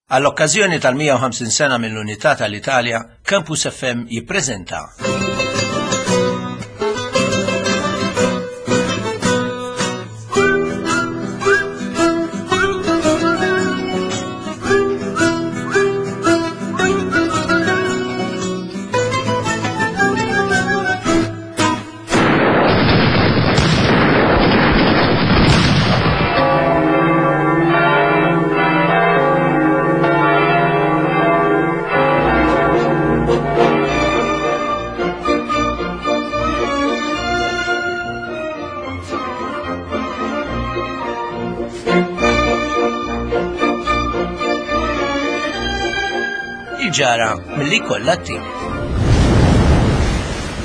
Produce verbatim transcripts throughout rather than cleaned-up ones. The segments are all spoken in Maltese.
Għall-okkażjoni tal-mija u ħamsin sena mill-Unità tal-Italja, Campus F M jippreżenta Il-ġara milli kollha t-tim.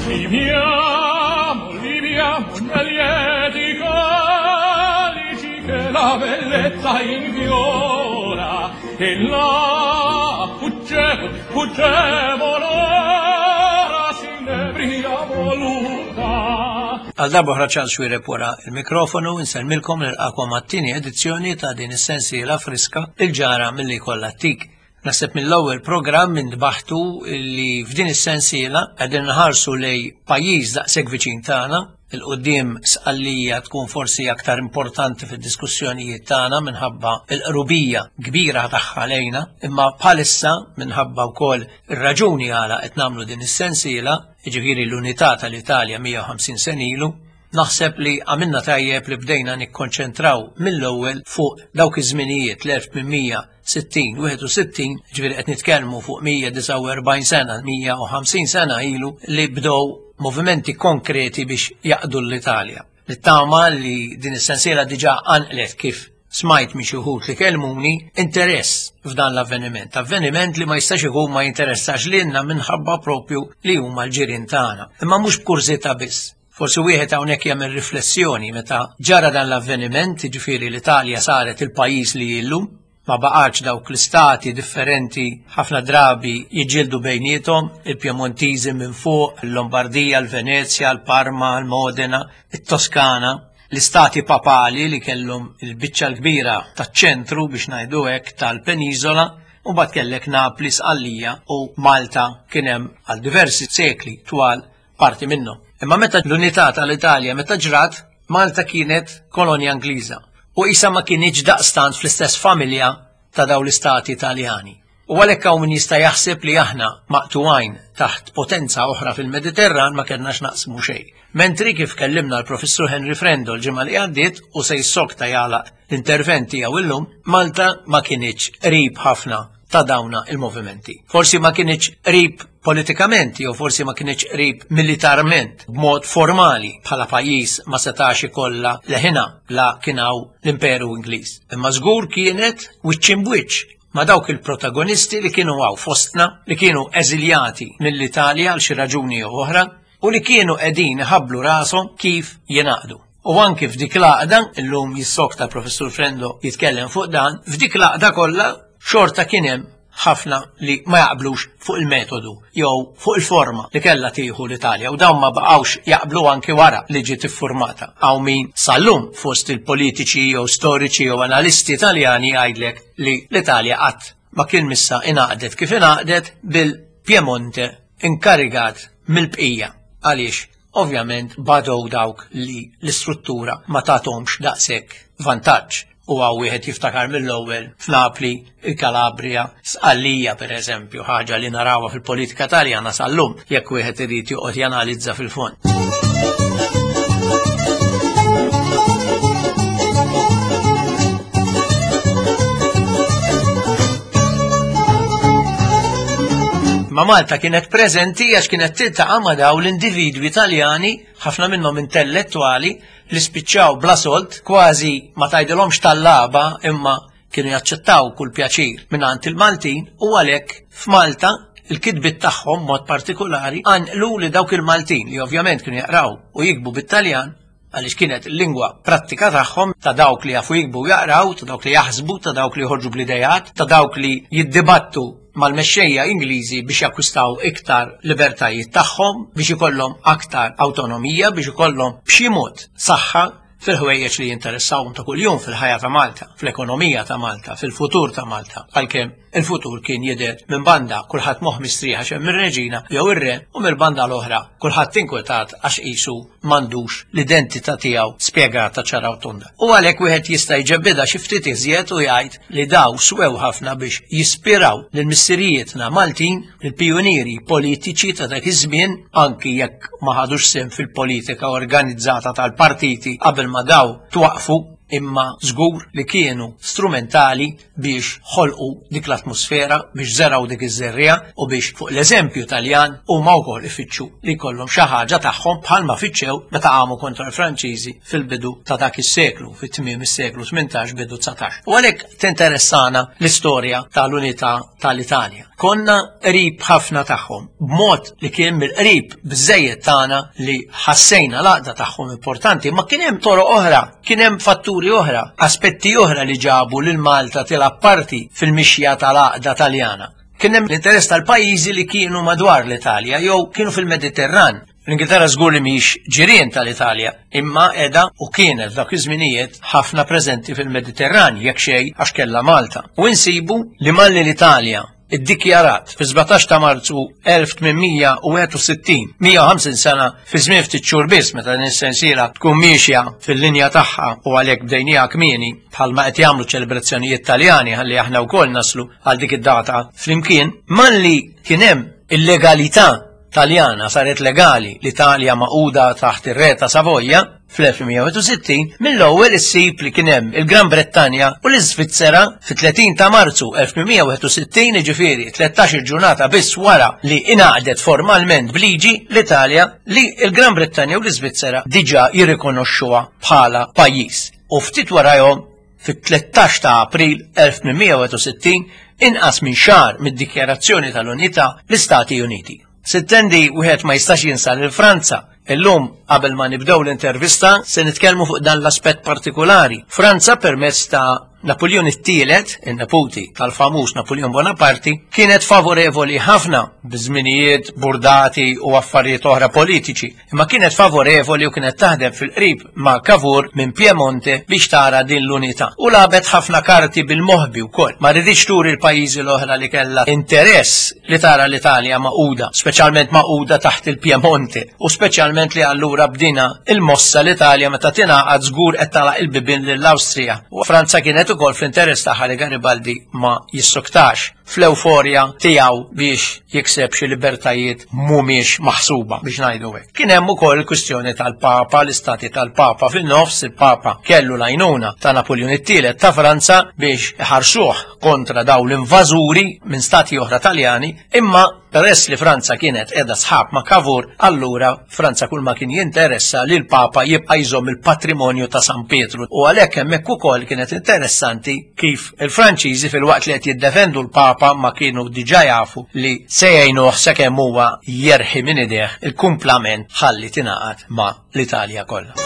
Viviamo, viviamo nel lieti calici che la bellezza infiora e là fuggevo, fuggevo l'ora si inebria voluta. Għal darba oħra Charles Xuereb wara il-mikrofonu insellmilkom nilqakom għat-tieni edizzjoni ta' din is-sensiela friska Il-ġara milli kollha t-tik. Naħseb mill-ewwel programm intbaħtu li f'din is-sensiela qegħdin nħarsu lej pajjiż daqshekk viċin tagħna, il-qudiem Sqallija tkun forsi aktar importanti fid-diskussjonijiet tagħna minħabba l-qrubija kbira tagħha lejna, imma bħalissa minħabba wkoll ir-raġuni għala qed nagħmlu din is-sensiela, jiġifieri l-unità tal-Italja mija u ħamsin sena ilu, naħseb li għamilna tajjeb li bdejna nikkonċentraw mill-ewwel fuq dawk iż-żminijiet l-elf minn mija sittin, wieħed u sittin, ġifieri qed nitkellmu fuq mija disgħa u erbgħin sena, mija u ħamsin sena ilu li bdew movimenti konkreti biex jaqdu l-Italja. Nittama li din is-sensiela diġà qanqlet kif smajt minn xi wħud li kellmuni interess f'dan l-avveniment. Avveniment li ma jistax ikun ma jinteressax lilna minħabba propju li huma l-ġirien tagħna. Imma mhux b'kurżità biss. Forsi wieħed hawnhekk jagħmel riflessjoni meta ġara dan l-avveniment, jiġifieri l-Italja saret il-pajjiż li illum, ma baqgħetx dawk l-istati differenti ħafna drabi jiġġieldu bejniethom, il-Piemontiżi minn fuq, il-Lombardija, l-Venezja, l-Parma, l-Modena, it-Toskana, l-istati papali li kellhom il-biċċa l-kbira taċ-ċentru biex ngħidu hekk tal-peniżola, u mbagħad kellek Napli, Sqallija u Malta kien hemm għal diversi sekli twal parti minnhom. Imma meta l-unità tal-Italja meta ġrat, Malta kienet kolonja Ingliża u qisha ma kienx daqstant fl-istess familja ta' dawn l-istati Italjani. U għalhekk hawn min jista' jaħseb li aħna maqtuwajn taħt potenza oħra fil-Mediterran ma kellnax naqsmu xejn. Mentri kif kellimna l-Professur Henry Frendo l-ġimgħa li għaddiet u se jissokta jagħlaq l-intervent tiegħu illum, Malta ma kienx qrib ħafna ta' dawna il-movimenti. Forsi ma kienx qrib politikament, jew forsi ma kienx qrib militarment, b'mod formali bħala pajjiż ma setax ikollha leħina la kien hawn l-Imperu Ingliż. Imma żgur kienet wiċċ imbwiċċ ma' dawk il-protagonisti li kienu hawn fostna, li kienu eżiljati mill-Italja għal xi raġuni jew oħra, u li kienu qegħdin iħabblu rashom kif jingħaqdu. U anki f'dik l-għaqda, illum jissokta Professur Frendo jitkellem fuq dan, f'dik l-għaqda kollha xorta kien hemm ħafna li ma jaqblux fuq il-metodu jew fuq il-forma li kellha tieħu l-Italja, u dawn ma baqgħux jaqblu anki wara li ġiet iffurmata. Hawn min sal-lum fost il-politiċi jew storiċi jew analisti Italjani jgħidlek li l-Italja qatt ma kien missa ingħaqdet kif ingħaqdet bil-Piemonte inkarigat mill-bqija. Għaliex ovvjament badow dawk li l-istruttura ma tagħthomx daqshekk vantaġġ. U għaw wieħed jiftakar mill-ewwel f'Napli, il-Kalabria, Sqallija per eżempju, ħaġa li narawha fil-politika Taljana sal-lum jekk wieħed irid joqgħod janalizza fil-fond. Ma Malta kienet preżenti għax kienet tiltaqa' ma' daw l-individwi Taljani, ħafna minnhom intellettwali, li spiċċaw bla sold, kważi ma tgħidilhomx tal-laba, imma kienu jaċċettaw kull pjaċir mingħand il-Maltin, u għalhekk f'Malta il-kitbiet tagħhom mod partikolari qanqlu li dawk il-Maltin li ovvjament kienu jaqraw u jikbu bit-Taljan, għaliex kienet il-lingwa prattika tagħhom, ta' dawk li jafu jikbu u jaqraw, ta' dawk li jaħsbu, ta' dawk li joħorġu bl-idejat, ta' dawk li jiddibattu mal-mexxejja Ingliżi biex jakkwistaw iktar libertajiet tagħhom, biex ikollhom aktar awtonomija, biex ikollhom b'xi mod saħħa fil-ħwejjeġ li jinteressawhom ta' kuljum fil-ħajja ta' Malta, fl-ekonomija ta' Malta, fil-futur ta' Malta, għalkemm Il-futur kien jidher minn banda kulħadd moħħ mistrieħ għax hemm ir-reġina jew ir-re u mill-banda l-oħra kulħadd inkwetat għax qisu m'għandux l-identità tiegħu spjegata ċara u tonda. U għalhekk wieħed jista' jġebbidha xi ftit iżjed u jgħid li daw swew ħafna biex jispiraw lil missirijietna Maltin, il-pijunieri politiċi ta' dak iż-żmien, anki jekk ma ħadux sehem fil-politika organizzata tal-partiti qabel ma daw twaqfu, imma żgur li kienu strumentali biex ħolqu dik l-atmosfera, biex żeraw dik iż-żerriegħa u biex fuq l-eżempju Taljan huma wkoll ifittxu li jkollhom xi ħaġa tagħhom bħalma fittxew meta qamu kontra l-Franċiżi fil-bidu ta' dak is-seklu, fit-tmiem is-seklu tmintax bidu dsatax. U għalhekk tinteressana l-istorja tal-unità tal-Italja. Konna qrib ħafna tagħhom, b'mod li kien mill-qrib biżejjed tagħna li ħassejna l-għaqda tagħhom importanti, ma kien hemm toroq oħra, kien hemm fatturi oħra, aspetti oħra li ġabu lil Malta tilgħab parti fil-mixja tal-għaqda Taljana. Kien hemm l-interess tal-pajjiżi li kienu madwar l-Italja jew kienu fil-Mediterran. L-Ingilterra żgur li mhix ġirien tal-Italja, imma qiegħda u kienet f'dak iż-żminijiet ħafna preżenti fil-Mediterran jekk xejn għax kellha Malta. U insibu li malli l-Italja iddikjarat fi sbatax ta' Marzu elf tmien mija u wieħed u sittin, mija u ħamsin sena fi żmien ftit xhur biss meta din is-sensiela tkun miexja fil-linja tagħha u għalhekk bdejniha kmieni bħalma qed jagħmlu ċelebrazzjonijiet Taljani ħalli aħna wkoll naslu għal dik id-data flimkien, malli kien hemm il-legalità Taljana saret legali l-Italja maquda taħt ir-re ta' Savoja fl-elf mija u wieħed u sittin, mill-ewwel issib li kien hemm il-Gran Brettanja u l-Iżvizzera fit-tletin ta' Marzu elf mija u wieħed u sittin, jiġifieri tlettax-il ġurnata biss wara li ingħaqdet formalment b'liġi l-Italja, li l-Gran Brettanja u l-Iżvizzera diġà jirrikonoxxuha bħala pajjiż. U ftit warahom fit-tlettax ta' April elf mija u wieħed u sittin, inqas minn xahar mid-dikjarazzjoni tal-Unità, l-Istati Uniti. Sittendi wieħed ma jistax jinsa lil Franza. Illum, qabel ma nibdew l-intervista, se nitkellmu fuq dan l-aspett partikolari. Franza permezz ta' Napoleon it-tielet, in-neputi tal-famuż Napoleon Bonaparte, kienet favorevoli ħafna biżminijiet burdati u affarijiet oħra politiċi, imma kienet favorevoli u kienet taħdem fil-qrib ma' Cavour minn Piemonte biex tara din l-unità. U lagħbet ħafna karti bil-moħbi wkoll. Ma riditx turi l-pajjiżi l-oħra li kellha interess li tara l-Italja maquda, speċjalment maquda taħt il-Piemonte, u speċjalment li allura bdina il-mossa l-Italja meta tingħaqad żgur qed tagħlaq il-bibien lill-Awstrija. U Franza kienet ukoll fl-interess tagħha li Garibaldi ma jissoktax fl-euforja tiegħu biex jikseb xi libertajiet mhumiex maħsuba biex ngħidu hekk. Kien hemm ukoll il-kwistjoni tal-Papa, l-istati tal-Papa fin-nofs, il-Papa kellu l-għajnuna ta' Napoleon it-tielet ta' Franza biex iħarsuh kontra daw l-invażuri minn stati oħra Taljani, imma peress li Franza kienet qiegħda sħab ma' Cavour, allura Franza kull ma kien jinteressa li l-Papa jibqa' jżomm il-patrimonju ta' San Pietru. U għalhekk hemmhekk ukoll kienet interessanti kif il-Franċiżi fil-waqt li qed jiddefendu l-Papa ma kienu diġà jafu li se jgħinuh sakemm huwa jerħi minn idejh il-kumplament ħalli tingħaqad ma' l-Italja kollha.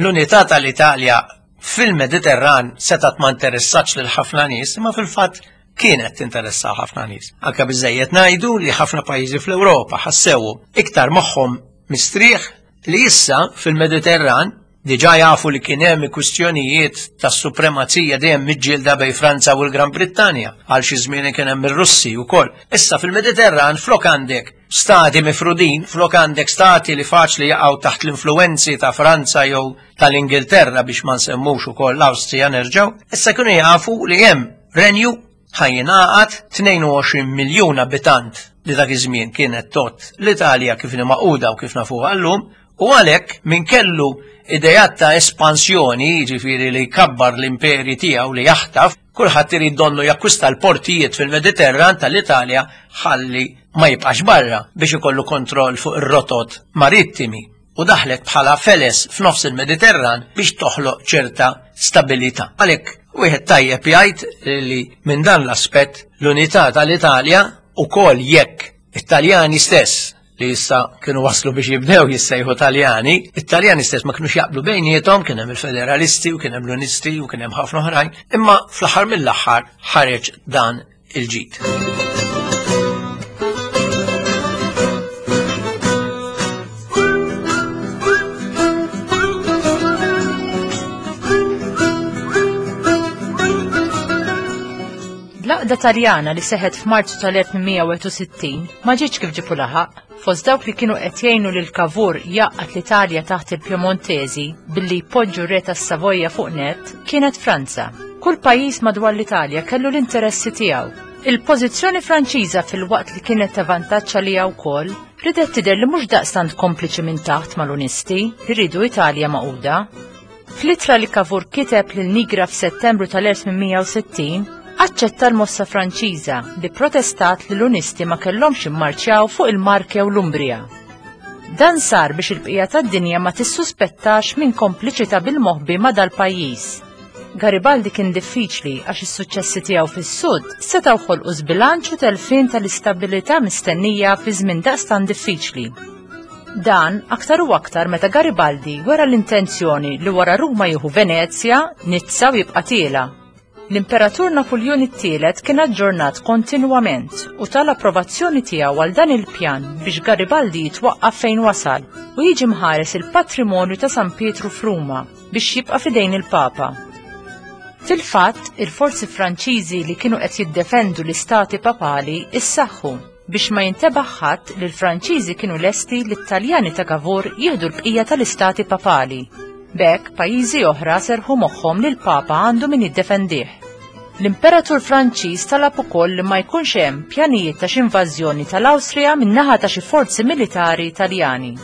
L-unità tal-Italja fil-Mediterran setat ma interessatx lil ħafna nies, imma fil-fatt kienet tinteressa ħafna nies. Anke biżejjed ngħidu li ħafna pajjiżi fl-Ewropa ħassew iktar moħħhom mistrieħ li issa fil-Mediterran diġà jafu li kien hemm kwistjonijiet tas-supremazija dejjem miġġielda bejn Franza u l-Gran Brittanja, għal xi żmien kien hemm ir-Russi wkoll. Issa fil-Mediterran flok għandek stati mifrudin, flok għandek stati li faċli jaqgħu taħt l-influenzi ta' Franza jew tal-Ingilterra biex ma nsemmux ukoll l-Awstrija nerġgħu, issa kienu jafu li hemm renju ħajjingħaqad tnejn u għoxrin miljun abitant li dak iż-żmien kienet tot l-Italja kif inhi maquda u kif nafuha llum, u għalhekk min kellu idejat ta' espansjoni, jiġifieri li jkabbar l-imperi tiegħu li jaħtaf, kulħadd irid donnu jakkwista l-portijiet fil-Mediterran tal-Italja ħalli ma jibqax barra biex ikollu kontroll fuq ir-rotot marittimi. U daħlet bħala feles f'nofs il-Mediterran biex toħloq ċerta stabilità. Għalhekk wieħed tajjeb jgħid li minn dan l-aspett l-unità tal-Italja ukoll jekk it-Taljani stess li issa kienu waslu biex jibdew jissejħu Taljani, it-Taljani stess ma kinux jaqblu bejniethom, kien hemm il-federalisti u kien hemm l-unisti u kien hemm ħafna oħrajn, imma fl-aħħar mill-aħħar ħareġ dan il-ġid. L-għaqda Taljana li seħet f'Marzu tal-elf tmien mija u wieħed u sittin ma ġietx kif ġipu laħaq. Fost dawk li kienu qed jgħinu lil Cavour jaqgħad l-Italja taħt il-Piemontesi billi jpoġġu r-re tas-Savoja fuq net kienet Franza. Kull pajjiż madwar l-Italja kellu l-interessi tiegħu. Il-pożizzjoni Franċiża fil-waqt li kienet ta' vantaġġ għaliha wkoll ridet tidher li mhux daqstant kompliċi minn taħt mal-Unisti li rridu Italja magħquda. Fl-ittra li Cavour kiteb lil Nigra f'Settembru tal-elf tmien mija u sittin, aċċetta l-mossa Franċiża li protestat li l-Unisti ma kellhomx immarċjaw fuq il-Marke u l-Umbria. Dan sar biex il-bqija tad-dinja ma tissuspettax minn kompliċità bil-moħbi ma' dal-pajjiż. Garibaldi kien diffiċli għax is-suċċessi tiegħu fis-sud setgħu ħolqu żbilanċ u telfien tal-istabilità mistennija fi żmien daqstan diffiċli. Dan aktar u aktar meta Garibaldi wera l-intenzjoni li wara Ruma jieħu Venezja, Nizza u jibqa' tiela. L-Imperatur Napoleon it-tielet kien aġġornat kontinwament u tal-approvazzjoni tiegħu għal dan il-pjan biex Garibaldi jitwaqqaf fejn wasal u jiġi mħares il-patrimonju ta' San Pietru f'Ruma biex jibqa' fidejn il-Papa. Fil-fatt, il-forzi Franċiżi li kienu qed jiddefendu l-istati papali issaħħu biex ma jintebaħ ħadd li l-Franċiżi kienu lesti li t-Taljani ta' Cavour jieħdu l-bqija tal-istati papali. B'hekk pajjiżi oħra serħu moħħhom li l-Papa għandu min jiddefendih. L-Imperatur Franċiż talab ukoll li ma jkunx hemm pjanijiet ta' xi invażjoni tal-Awstrija min-naħa ta' xi forzi militari Taljani.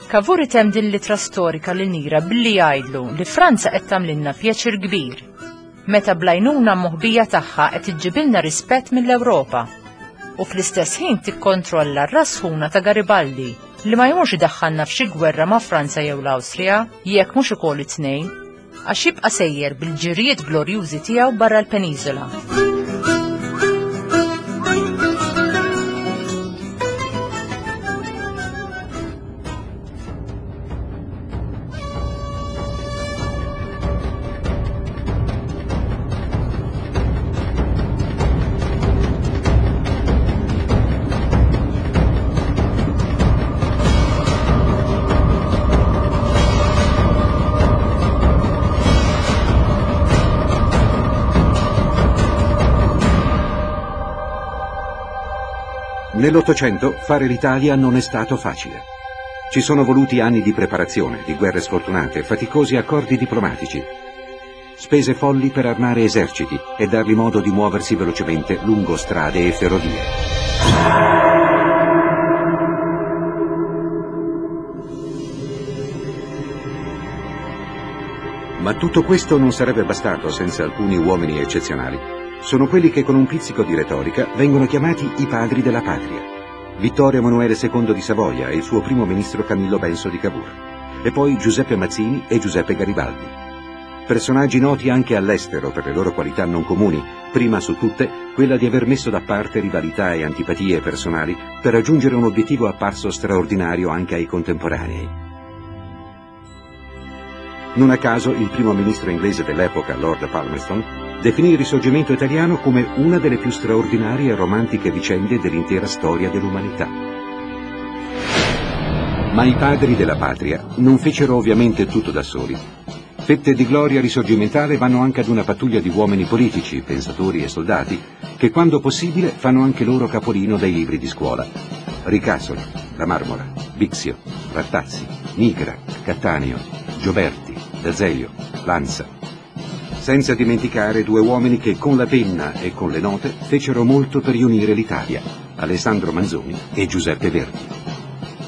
Cavour item din l-ittra storika lil Nigra billi jgħidlu li Franza qed tagħmlilna pjaċir kbir, meta bl-għajnuna moħbija tagħha qed iġġibilna rispett mill-Ewropa u fl-istess ħin tikkontrolla r-rasħuna ta' Garibaldi li ma jmurx idaħħalna f'xi gwerra ma' Franza jew l-Awstrija jekk mhux ukoll it-tnejn, għax jibqa' sejjer bil-ġirijiet glorjużi tiegħu barra l-peniżola. Nell'Ottocento fare l'Italia non è stato facile. Ci sono voluti anni di preparazione, di guerre sfortunate, faticosi accordi diplomatici, spese folli per armare eserciti e dargli modo di muoversi velocemente lungo strade e ferrovie. Ma tutto questo non sarebbe bastato senza alcuni uomini eccezionali. Sono quelli che con un pizzico di retorica vengono chiamati i padri della patria. Vittorio Emanuele secondo di Savoia e il suo primo ministro Camillo Benso di Cavour, e poi Giuseppe Mazzini e Giuseppe Garibaldi. Personaggi noti anche all'estero per le loro qualità non comuni, prima su tutte quella di aver messo da parte rivalità e antipatie personali per raggiungere un obiettivo apparso straordinario anche ai contemporanei. Non a caso il primo ministro inglese dell'epoca, Lord Palmerston, definì il risorgimento italiano come una delle più straordinarie e romantiche vicende dell'intera storia dell'umanità. Ma i padri della patria non fecero ovviamente tutto da soli. Fette di gloria risorgimentale vanno anche ad una pattuglia di uomini politici, pensatori e soldati, che quando possibile fanno anche loro capolino dai libri di scuola. Ricasoli, La Marmora, Bixio, Rattazzi, Nigra, Cattaneo, Gioberti, D'Azeglio, Lanza. Senza dimenticare due uomini che con la penna e con le note fecero molto per riunire l'Italia, Alessandro Manzoni e Giuseppe Verdi.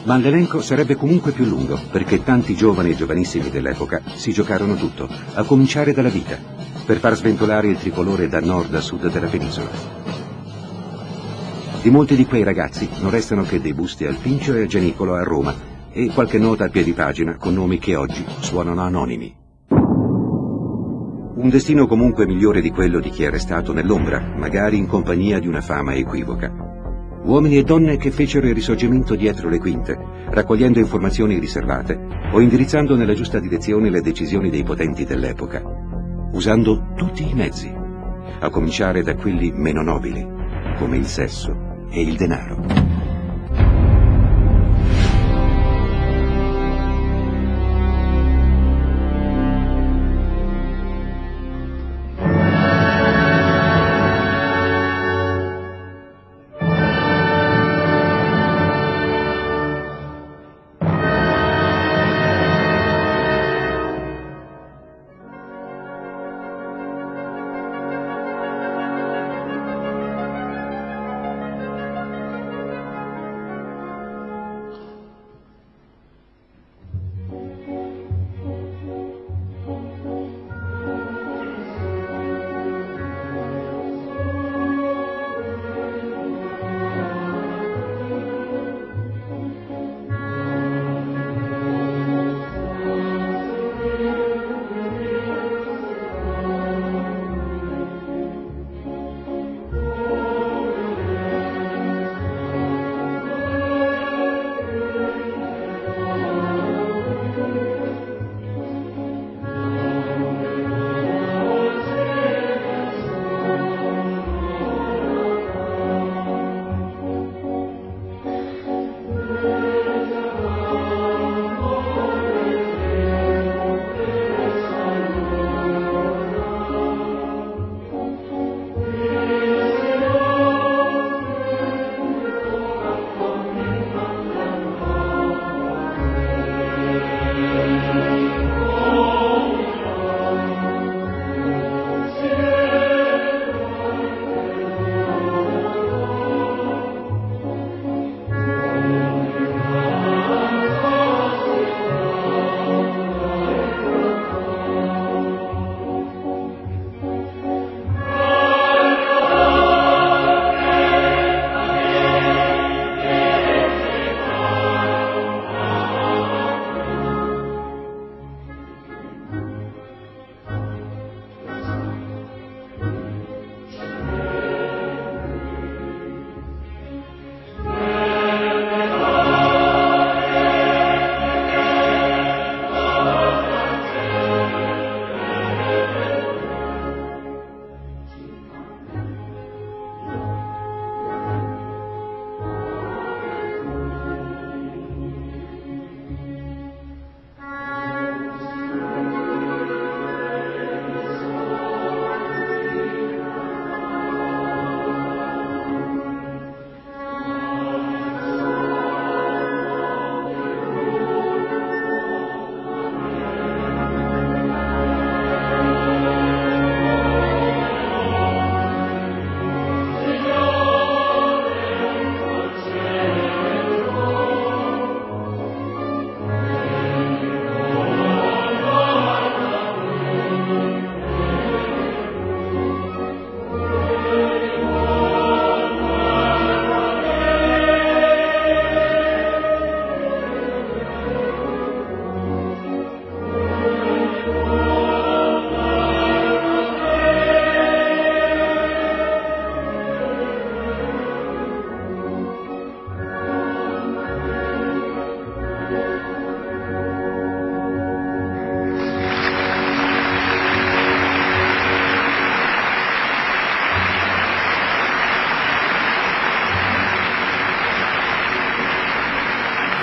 Ma l'elenco sarebbe comunque più lungo, perché tanti giovani e giovanissimi dell'epoca si giocarono tutto, a cominciare dalla vita, per far sventolare il tricolore da nord a sud della penisola. Di molti di quei ragazzi non restano che dei busti al Pincio e al Gianicolo a Roma e qualche nota a piedi pagina con nomi che oggi suonano anonimi. Un destino comunque migliore di quello di chi è restato nell'ombra, magari in compagnia di una fama equivoca. Uomini e donne che fecero il risorgimento dietro le quinte, raccogliendo informazioni riservate o indirizzando nella giusta direzione le decisioni dei potenti dell'epoca, usando tutti i mezzi, a cominciare da quelli meno nobili, come il sesso e il denaro.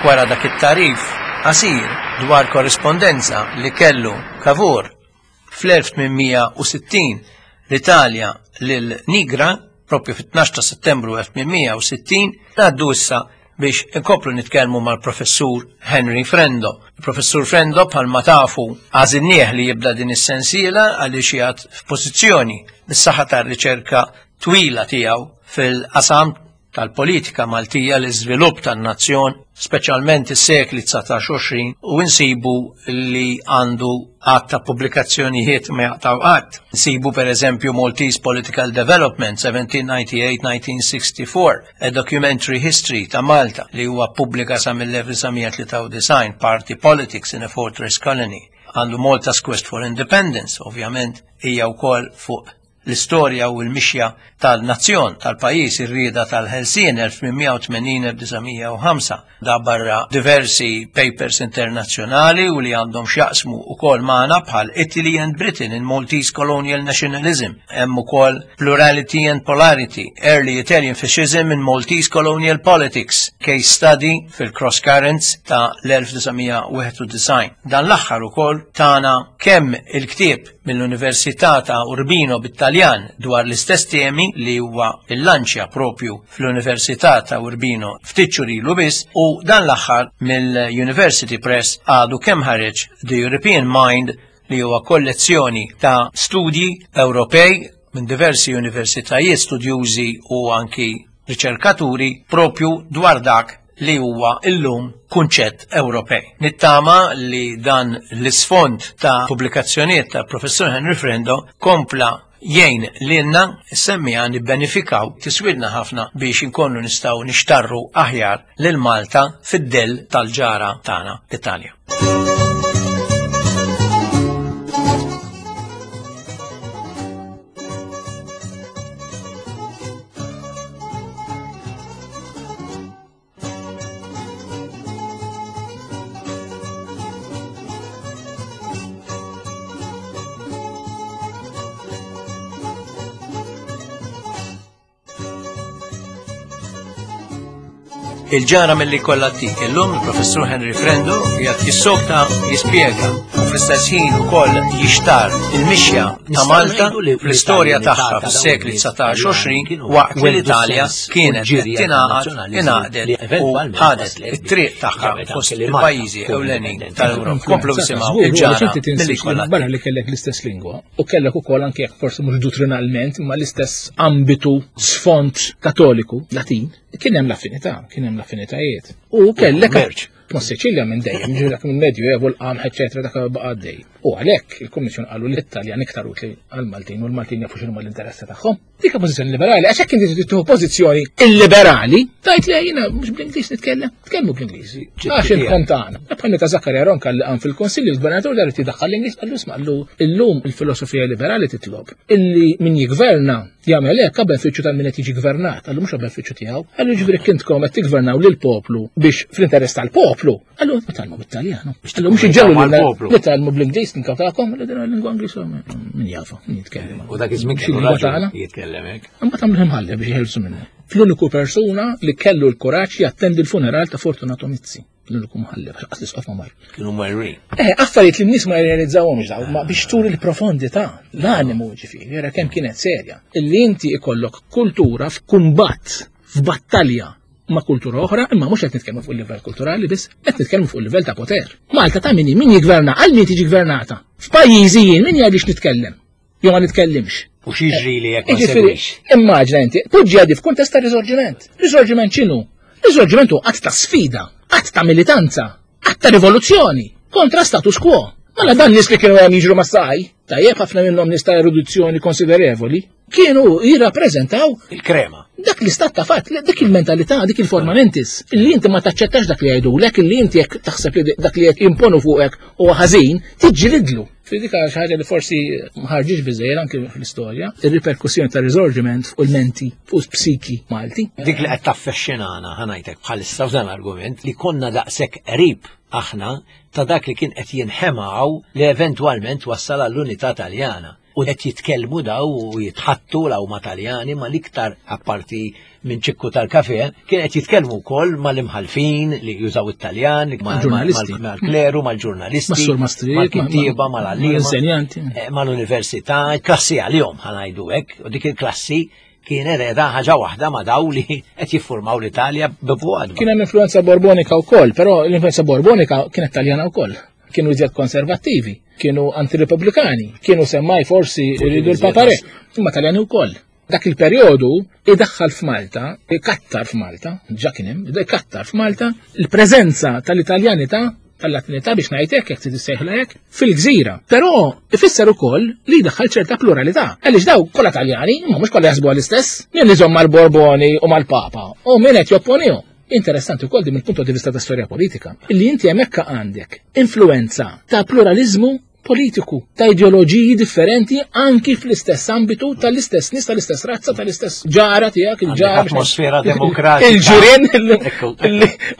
Wara dak it-tarif qasir dwar korrispondenza li kellu Cavour fl-elf tmien u sittin l-Italja lil Nigra, propju fit-tnax ta' Settembru elf tmien u sittin, ngħaddu issa biex inkoplu nitkellmu mal-professur Henry Frendo. Il-professur Frendo bħalma tafu għażilnieh li jibda din is-sensiela għaliex jgħad f'pożizzjoni bis-saħħa tar-riċerka twila tiegħu fil-qasam tal-politika Maltija, l-iżvilupp tan-nazzjon, speċjalment is-sekli dsatax u għoxrin, u nsibu li għandu għadd ta' pubblikazzjonijiet ma jaqtaw qatt. Nsibu per eżempju Maltese Political Development seventeen ninety-eight nineteen sixty-four, a Documentary History ta' Malta li huwa ppubblika sa mill-elf disa' mija tlieta u disgħin, Party Politics in a Fortress Colony. Għandu Malta's Quest for Independence, ovvjament hija wkoll fuq l-istorja u l-mixja tal-nazzjon tal-pajjiż ir-rieda tal-Ħelsien elf tmien u tmenin elf disa' mija u ħamsa. Da barra diversi papers internazzjonali u li għandhom x'jaqsmu wkoll magħna bħal Italy and Britain in Maltese Colonial Nationalism, hemm ukoll Plurality and Polarity, Early Italian Fascism in Maltese Colonial Politics, case study fil-Cross Currents ta' l-elf disa' mija wieħed u disgħin. Dan l-aħħar ukoll tana kemm il-ktieb mill-Università ta' Urbino bit-Taljan dwar l-istess temi li huwa il-lanċja propju fl-Università ta' Urbino ftit xhur ilu biss, u dan l-aħħar mill-University Press għadu kemm ħareġ The European Mind li huwa kollezzjoni ta' studji Ewropej minn diversi universitajiet, studjużi u anki riċerkaturi propju dwar dak li huwa illum kunċett Ewropej. Nittama li dan l-isfond ta' pubblikazzjonijiet ta' Professur Henry Frendo kompla jgħin lilna semmija nibbenefikaw tiswidna ħafna biex inkunu nistgħu nixtarru aħjar lil Malta fid-dell tal-ġara tagħna l-Italja. Il-ġara mill-li kollha tik illum il-Professur Henry Frendo qiegħed jissokta jispjega u fl-istess ħin ukoll jixtar il-mixja ta' Malta fl-istorja tagħha fis-sekli dsatax u għoxrin waqt li l-Italja kienet qed tingħaqad ingħaqdet u ħadet it-triq tagħha fost il-pajjiżi ewlenin tal-Ewropa. Komplu nisimgħu il-ġara mill-li kollha. Barra li kellek l-istess lingwa u kellek ukoll anke jekk forsi mhux dottrinalment imma l-istess ambitu sfond katoliku Latin, kien hemm l-affinità, kien hemm l-affinitajiet. U kellek ma' Siċilja minn dejjem, ġifieri dak minn Medju Evu, l-qamħ, eċetera, dak baqa' għaddej. U għalhekk il-Kummissjoni qalu li l-Italjan iktar utli għall-Maltin u l-Maltin jafu x'inhuma l-interessi tagħhom. Dik pożizzjoni liberali, għax hekk inti tieħu pożizzjoni illiberali, tgħid li jiena mhux bl-Ingliż nitkellem, tkellmu bl-Ingliż. Għax il-kom tagħna. Bħal meta Zaccaria Ronca li qam fil-Konsilju l-Gvernatur dar irid jdaħħal l-Ingliż, qallu isma' qallu illum il-filosofija liberali titlob illi min jiggverna jagħmel hekk għal benefiċċju tal min qed jiġi gvernat, qallu mhux għal benefiċċju tiegħu. Qallu ġifieri kintkom qed tiggvernaw lill-poplu biex fl-interess tal-poplu. Qallu ma tgħallmu bit-Taljan. Qallu mhux iġġelu li tgħallmu bl-Ingliż ninkawtakom, li din il-lingwa Ingliż min jafa, min jitkellem. U dak iż-żmien kellu raġun jitkellem hekk. Imbagħad għamlu imħallef biex jħelsu minnu. Fl-uniku persuna li kellu l-kuraġġ jattendi l-funeral ta' Fortunato Mizzi. L-uniku mħallef, għax l-isqof ma mar. Kienu marrin. Eh, affarijiet li n-nies ma jirrealizzawhomx daw, ma biex turi l-profondità, l-animu ġifieri, jara kemm kienet serja. Illi inti ikollok kultura f'kumbatt, f'battalja ma' kultura oħra, imma mhux qed nitkellmu fuq il-livell kulturali biss, qed nitkellmu fuq il-livell ta' poter. Malta ta' min min jiggverna, għal min tiġi gvernata. F'pajjiżi jien min jgħidix nitkellem, jew ma nitkellimx. U x'jiġri li jekk ma Jiġifieri, segwix? Immaġna inti, poġġi għadi f'kuntest ta' risorġiment. Risorġiment x'inhu? Risorġiment hu qatt ta' sfida, qatt ta' militanza, qatt ta' rivoluzzjoni kontra status quo. Mela dan nies li kienu hemm jiġru mas-saj, tajjeb ħafna minnhom nies ta' erudizzjoni konsiderevoli, kienu jirrappreżentaw il-krema. Dak l-istat ta' fatt, dik il-mentalità, dik il-forma mentis, illi inti ma taċċettax dak li jgħidulek, illi inti jekk taħseb li dak li qed jimponu fuqek huwa ħażin, tiġġilidlu. Fi dik xi ħaġa li forsi ma ħarġitx biżejjed anke fl-istorja, ir-riperkussjoni ta' risorġiment fuq il-menti, fuq psiki Malti. Dik li qed taffexxinana ħanajtek bħalissa f'dan l-argument li konna daqshekk qrib aħna ta' dak li kien qed jinħemaw li eventwalment wassal għall-unità Taljana. U qed jitkellmu daw u jitħattu law ma' Taljani ma' l-iktar apparti minn ċikku tal-kafe, kien qed jitkellmu wkoll mal-imħalfin li jużaw it-Taljan, ma' Mal-ġurnalisti. ma', mal-kleru, mal-ġurnalisti, Mas-sur Maastricht, mal-kittieba, mal-għalliema, mal-insenjanti. eh, mal-università, klassi għalihom ħanajdu hekk, u dik il-klassi kienet qiegħda ħaġa waħda ma' daw li qed jiffurmaw l-Italja b'fuqadba. Kien hemm influenza borbonika wkoll, però l-influenza borbonika kienet Taljana wkoll. Kienu iżjed konservattivi, kienu antirepubblikani, kienu semmaj forsi jridu l-papare, imma Taljani wkoll. Dak il-perjodu idaħħal f'Malta, ikattar f'Malta, ġa kien hemm, ikattar f'Malta il-preżenza tal-Italjanità, tal-Latinità biex ngħidlek jekk trid issejħla hekk, fil-gżira. Però ifisser ukoll li jdaħħal ċerta pluralità. Għaliex daw kollha Taljani, imma mhux kollha jaħsbu għall-istess, min iżomm mal-Borboni u mal-Papa u min qed jopponihom. Interessanti wkoll di mill-punto di vista ta' storja politika, illi inti hemmhekk għandek influenza ta' pluralizmu politiku ta' ideoloġiji differenti anki fl-istess ambitu tal-istess nies, tal-istess razza, tal-istess ġara tiegħek, il-ġara. Atmosfera demokratika. Il-ġirien,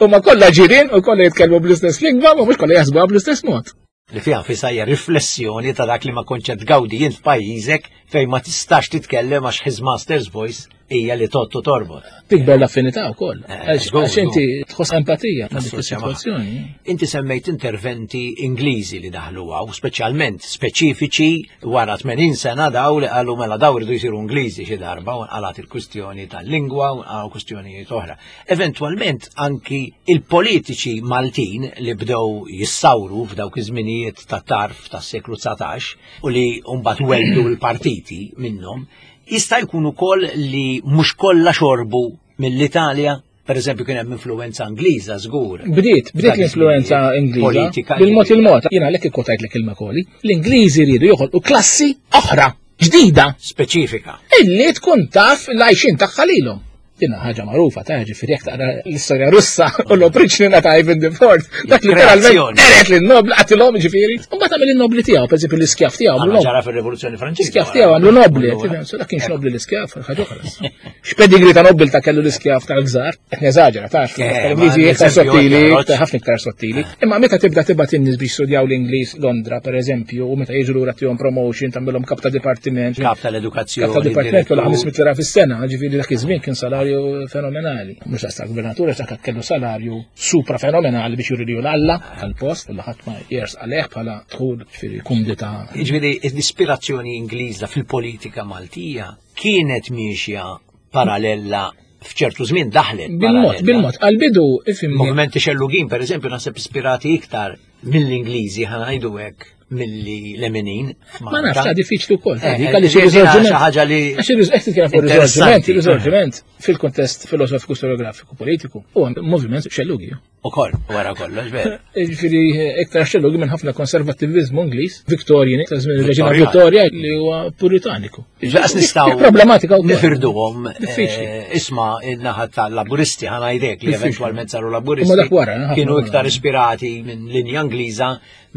huma kollha ġirien u kollha jitkellmu bl-istess lingwa, ma mhux kollha jaħsbuha bl-istess mod. Li fiha nfisha hija riflessjoni ta' dak li ma kontx qed tgawdi jien f'pajjiżek fejn ma tistax titkellem għax his master's voice hija li tottu torbot. Tikber l-affinità wkoll. Għax inti tħoss empatija ma' dik is-sitwazzjoni. Inti semmejt interventi Ingliżi li daħlu hawn, speċjalment speċifiċi wara tmenin sena daw li qalu mela daw iridu jsiru Ingliżi xi darba u nqalat il-kwistjoni tal-lingwa u nqalgħu kwistjonijiet oħra. Eventwalment anki il-politiċi Maltin li bdew jissawru f'dawk iż-żminijiet ta' tarf tas-seklu dsatax u li mbagħad weldu l-partiti minnhom, jista' jkun ukoll li mhux kollha xorbu mill-Italja, per eżempju kien hemm influenza Ingliża żgur. Bdiet, bdiet l-influenza Ingliża. Bil-mod il-mod, jiena għalhekk ikkotajtlek il-Macaulay, l-Ingliżi riedu joħolqu klassi oħra, ġdida, speċifika, illi tkun taf l-għajxin tagħha lilhom. Dinha ħaġa magħrufa ta' ġifieri jekk taqra l-istorja Russa u l-opriċnina ta' Ivan the Fourth, dak literalment eret lin-nobli qatilhom ġifieri. U mbagħad għamel in-nobli tiegħu, pereżempju l-iskjaf tiegħu għamlu nobli. Ġara fir-Rivoluzzjoni Franċiża. L-iskjaf tiegħu għamlu nobli, so dak kienx nobli l-iskjaf, ħaġa oħra. X'pedigri ta' nobbil ta' kellu l-iskjaf tal-gżar, qed neżaġera taf, l-Ingliżi iktar sottili, ħafna iktar sottili. Imma meta tibda tibgħat in-nies biex studjaw l-Ingliż Londra, pereżempju, u meta jiġu lura tihom promotion, tagħmilhom kap ta' dipartiment. Kap tal-edukazzjoni. Kap ta' dipartiment kollha ħames mitt lira fis-sena, ġifieri dak iż-żmien kien salarju fenomenali. Mhux daqs tal-gvernatur, għax dak kellu salarju supra fenomenali biex juri li l-Alla tal-post, u ħadd ma jers għalih bħala dħul ġifieri kumdità. Jiġifieri l-ispirazzjoni Ingliża fil-politika Maltija kienet miexja parallella f'ċertu żmien daħlet. Bil-mod, bil-mod, għal-bidu ifhimni. Movimenti xellugin, pereżempju, naħseb ispirati iktar mill-Ingliżi ħa ngħidu hekk milli leminin. Ma nafx, ta' diffiċli wkoll. Dik għaliex ir-riżorġiment xi ħaġa li għax qed titkellem fuq ir-riżorġiment, ir-riżorġiment fil-kontest filosofiku storiografiku politiku huwa moviment xellugi. Ukoll, wara kollox, veru. Ġifieri iktar xellugi minn ħafna konservattiviżmu Ingliż, Victorian, ta' żmien ir-Reġina Vittoria li huwa puritaniku. Ġaqs nistgħu problematika wkoll. Nifirduhom. Diffiċli. Isma' in-naħa tal-Laburisti ħa ngħidlek li eventwalment saru Laburisti. Ma dak wara, kienu iktar ispirati minn linja Ingliża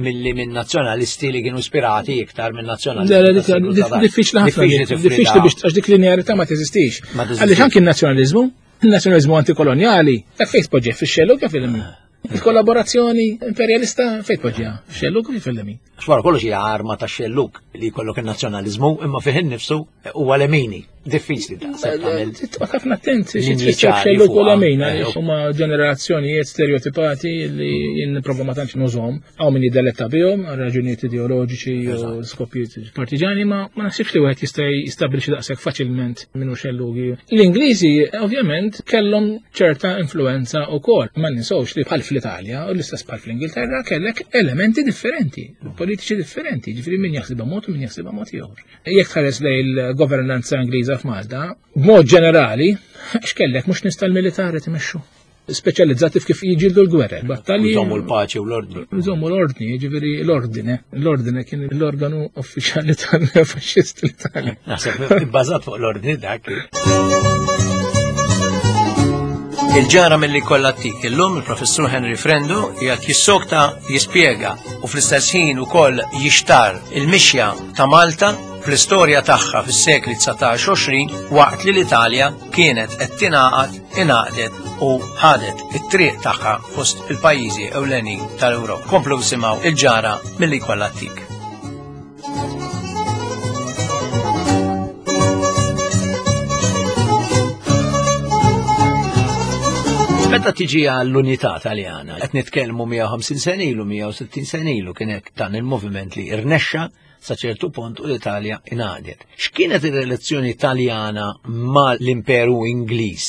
milli minn nazzjonalisti li kienu ispirati iktar minn nazzjonalisti. Diffiċli ħafna. Diffiċli biex għax dik linearità ma teżistix. Għaliex anki n-nazzjonaliżmu, il-nazzjonaliżmu antikolonjali, dak fejn tpoġġih fix-xellug kif il-lemin. Il-kollaborazzjoni imperjalista fejn tpoġġiha? Fix-xellug kif il-lemin. Għax wara kollox hija arma ta' xellug li jkollok in-nazzjonaliżmu imma fih innifsu huwa lemini. Diffiċli daqshekk tagħmel. Titqgħod ħafna attent xi tfisser xellug u lemin għaliex huma ġenerazzjonijiet stereotipati li jien nipprova ma tantx nużhom. Hawn min jiddeletta bihom għal raġunijiet ideoloġiċi u skopijiet partiġani, ma ma naħsibx li wieħed jista' jistabbilixxi daqshekk faċilment minnu xellugi. L-Ingliżi ovvjament kellhom ċerta influenza wkoll. Ma ninsewx li bħal fl-Italja u l-istess bħal fl-Ingilterra kellek elementi differenti, politiċi differenti, ġifieri min jaħsibha mod u min jaħsibha mod ieħor. Jekk tħares lejn il-governanza Ingliża f'Malta, b'mod ġenerali, x'kellek mhux nies tal-militari timexxu. Speċjalizzati f'kif jiġildu l-gwerra, battalji. Jżommu l-paċi u l-ordni. Jżommu l-ordni, jiġifieri l-ordine. L-ordine kien l-organu uffiċjali tal-faxxisti l-Italja. Naħseb ibbażat fuq l-ordni dak. Il-ġara milli kollha tik illum il-Professur Henry Frendo qiegħed jissokta jispjega u fl-istess ħin ukoll jixtar il-mixja ta' Malta fl-istorja tagħha fis-sekli dsatax għoxrin waqt li l-Italja kienet qed tingħaqad, ingħaqdet u ħadet it-triq tagħha fost il-pajjiżi ewlenin tal-Ewropa. Komplu simgħu il-ġara milli kollha tik. Meta tiġi għall-unità Taljana, qed nitkellmu mija u ħamsin sena ilu, mija u sittin sena ilu kien hekk dan il-moviment li irnexxa sa ċertu punt u l-Italja ingħaqdet. X'kienet ir-relazzjoni Taljana mal-Imperu Ingliż?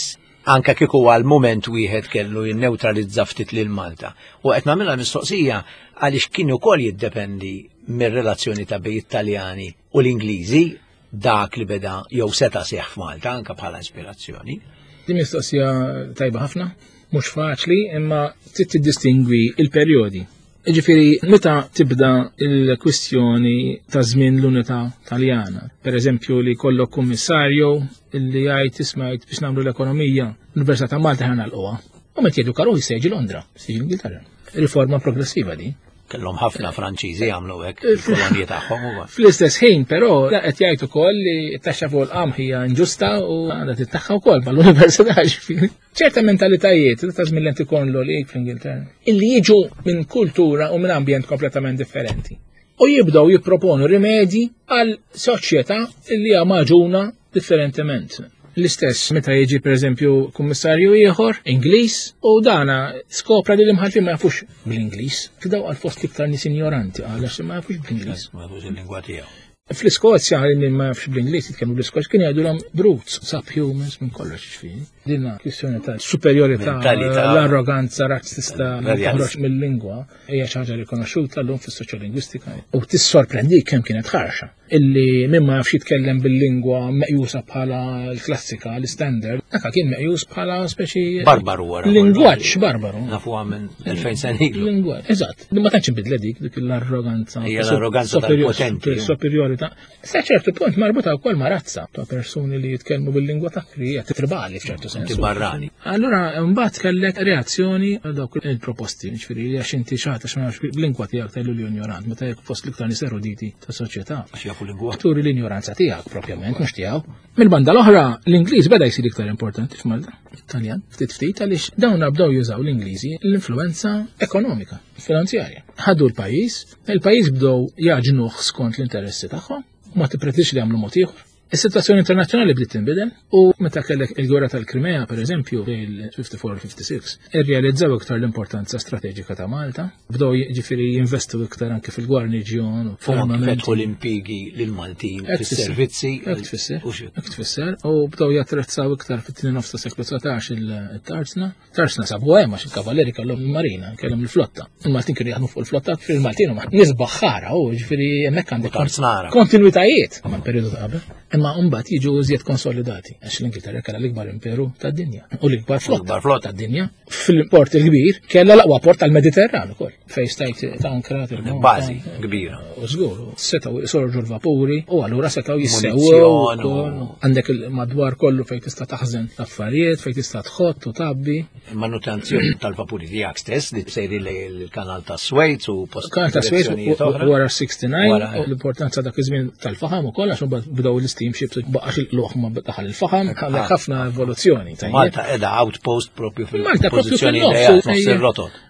Anka kieku għal moment wieħed kellu jinneutralizza ftit lil Malta. U qed nagħmilha mistoqsija għaliex kien ukoll jiddependi mir-relazzjoni ta' bejn it-Taljani u l-Ingliżi dak li beda jew seta' seħħ f'Malta anka bħala ispirazzjoni. Din mistoqsija tajba ħafna, mhux faċli, imma trid tiddistingwi il-perjodi. Ġifieri, meta tibda il-kwistjoni ta' żmien l-unità Taljana, per eżempju li kollok kummissarju li jgħid isma' biex nagħmlu l-ekonomija, l-Università ta' Malta ħa nagħlquha. U meta jgħidu karuħ jista' jiġi Londra, jista' jiġi Ingilterra. Riforma progressiva di. Kellhom ħafna Franċiżi jagħmlu hekk il-kolonji tagħhom ukoll. Fl-istess ħin però qed jgħid ukoll li t-taxxa fuq il-qamħ hija inġusta u għandha tittaħħa wkoll mal-università ġifieri. Ċerta mentalitajiet ta' żmien l-anti-Corn Law League fl-Ingilterra illi jiġu minn kultura u minn ambjent kompletament differenti. U jibdew jipproponu rimedji għal soċjetà illi hija maġuna differentement. L-istess meta jiġi pereżempju kummissarju ieħor Ingliż u dana skopra li l-imħalfin ma jafux bl-Ingliż. F'daw għal fost l-iktar nies ignoranti għal għax ma jafux bl-Ingliż. Ma jafux il-lingwa tiegħu. Fl-Iskozja min ma jafx bl-Ingliż jitkellmu bl-Iskozja kien jgħidulhom brutes, subhumans minn kollox ġifieri. Dinna kwistjoni ta' superjorità, l-arroganza razzista li toħroġ mill-lingwa hija xi ħaġa rikonoxxuta llum fis-soċjolingwistika u tissorprendi kemm kienet ħarxa illi min ma jafx jitkellem bil-lingwa meqjusa bħala l-klassika, l-standard, dak kien meqjus bħala speċi barbaru wara. Lingwaġġ barbaru. Nafuha minn elfejn sena ilu. Lingwaġġ, eżatt. Ma tantx inbidlet dik dik l-arroganza. Hija l-arroganza tal-potenti. Superjorità. Sa ċertu punt marbuta wkoll ma' razza ta' persuni li jitkellmu bil-lingwa ta' hija tribali f'ċertu sens. Barrani. Allura mbagħad kellek reazzjoni għal dawk il-proposti, ġifieri li għax inti xi ħadd għax ma nafx bl-lingwa tiegħek tgħidlu li ignorant, meta jekk fost l-iktar nies eruditi ta' soċjetà. Għax jafu lingwa. Turi l-ignoranza tiegħek propjament, mhux tiegħu. Mill-banda l-oħra, l-Ingliż beda jsir iktar importanti f'Malta, Italjan, ftit ftit għaliex dawn bdew jużaw l-Ingliżi l-influenza ekonomika, finanzjarja. Ħadu l-pajjiż, il-pajjiż bdew jaġnuh skont l-interessi tagħhom, ma tippretix li jagħmlu mod ieħor. Is-sitwazzjoni internazzjonali bdiet tinbidel u meta kellek il-gwerra tal-Krimea pereżempju fil-fifty-four fifty-six irrealizzaw iktar l-importanza strateġika ta' Malta, bdew jiġifieri jinvestu iktar anke fil-gwarniġjon u fetħu l-impjiegi lill-Maltin fis-servizzi. Hekk tfisser. Hekk tfisser u bdew jattrezzaw iktar fit-tieni nofs ta' seklu dsatax il-tarsna. Tarsna sabu hemm għax il-kavalleri kellhom il-marina, kellhom il-flotta. Il-Maltin kienu jaħdmu fuq il-flotta, fil-Maltin huma nies baħħara u jiġifieri hemmhekk għandek kontinwitajiet mal-perjodu ta' qabel. Imma mbagħad jiġu iżjed konsolidati għax l-Ingilterra kellha l-ikbar imperu tad-dinja u l-ikbar flotta tad-dinja. Fil-port il-kbir kellha l-aqwa port tal-Mediterran ukoll fejn stajt tankra bażi kbira. U żgur, setgħu jsorġu l-vapuri u allura setgħu jissewwew għandek il-madwar kollu fejn tista' taħżen l-affarijiet, fejn tista' tħott u tabbi. Il-manutenzjoni tal-vapuri tiegħek stess li sejri l-kanal ta' Suez u post. Kanal ta' Suez wara sixty-nine u l-importanza dak iż-żmien tal-faħam ukoll għax imbagħad bdew l-steamships baqax il-luħ ma daħal il-faħam, għandek ħafna evoluzzjoni. Malta qiegħda outpost propju fil-pożizzjoni nofs ir-rotot.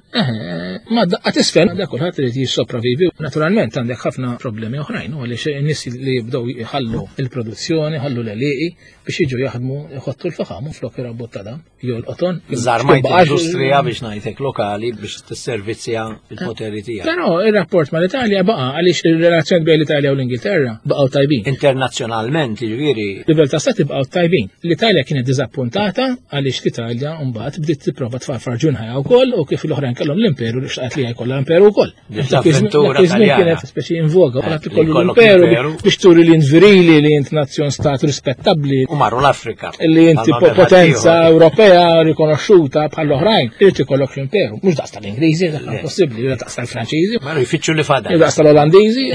Ma daqqa tisfel, dak kulħadd irid jissopravivi. Naturalment għandek ħafna problemi oħrajn, u għaliex in-nies li jibdew jħallu il-produzzjoni, ħallu l-għelieqi biex jiġu jaħdmu jħottu l-faħam u flok irabbu t-tadam jew l-qoton. Żarmajt l-industrija biex ngħidlek lokali biex tisservizzja il-poteri tiegħek. Però ir-rapport mal-Italja baqa' għaliex ir-relazzjoni bejn l-Italja u l-Ingilterra baqgħu tajbin. Internazzjonalment jiġifieri. Livell ta' stati baqgħu tajbin. L-Italja kienet diżappuntata għaliex l-Italja mbagħad bdiet tipprova tfarfar ġunħajha wkoll u kif l-oħrajn kellhom l-imperu li xtaqt li jkollha l-imperu wkoll. L-avventura kienet speċi in voga, kulħadd ikollu l-imperu biex turi li int virili, li int nazzjon stat rispettabbli. U marru l-Afrika. Li inti potenza Ewropea rikonoxxuta bħal oħrajn, irid ikollok l-imperu. Mhux daqs tal-Ingliżi, dak impossibbli, jew daqs tal-Franċiżi. Marru jfittxu li fadal. Jew daqs tal-Olandiżi,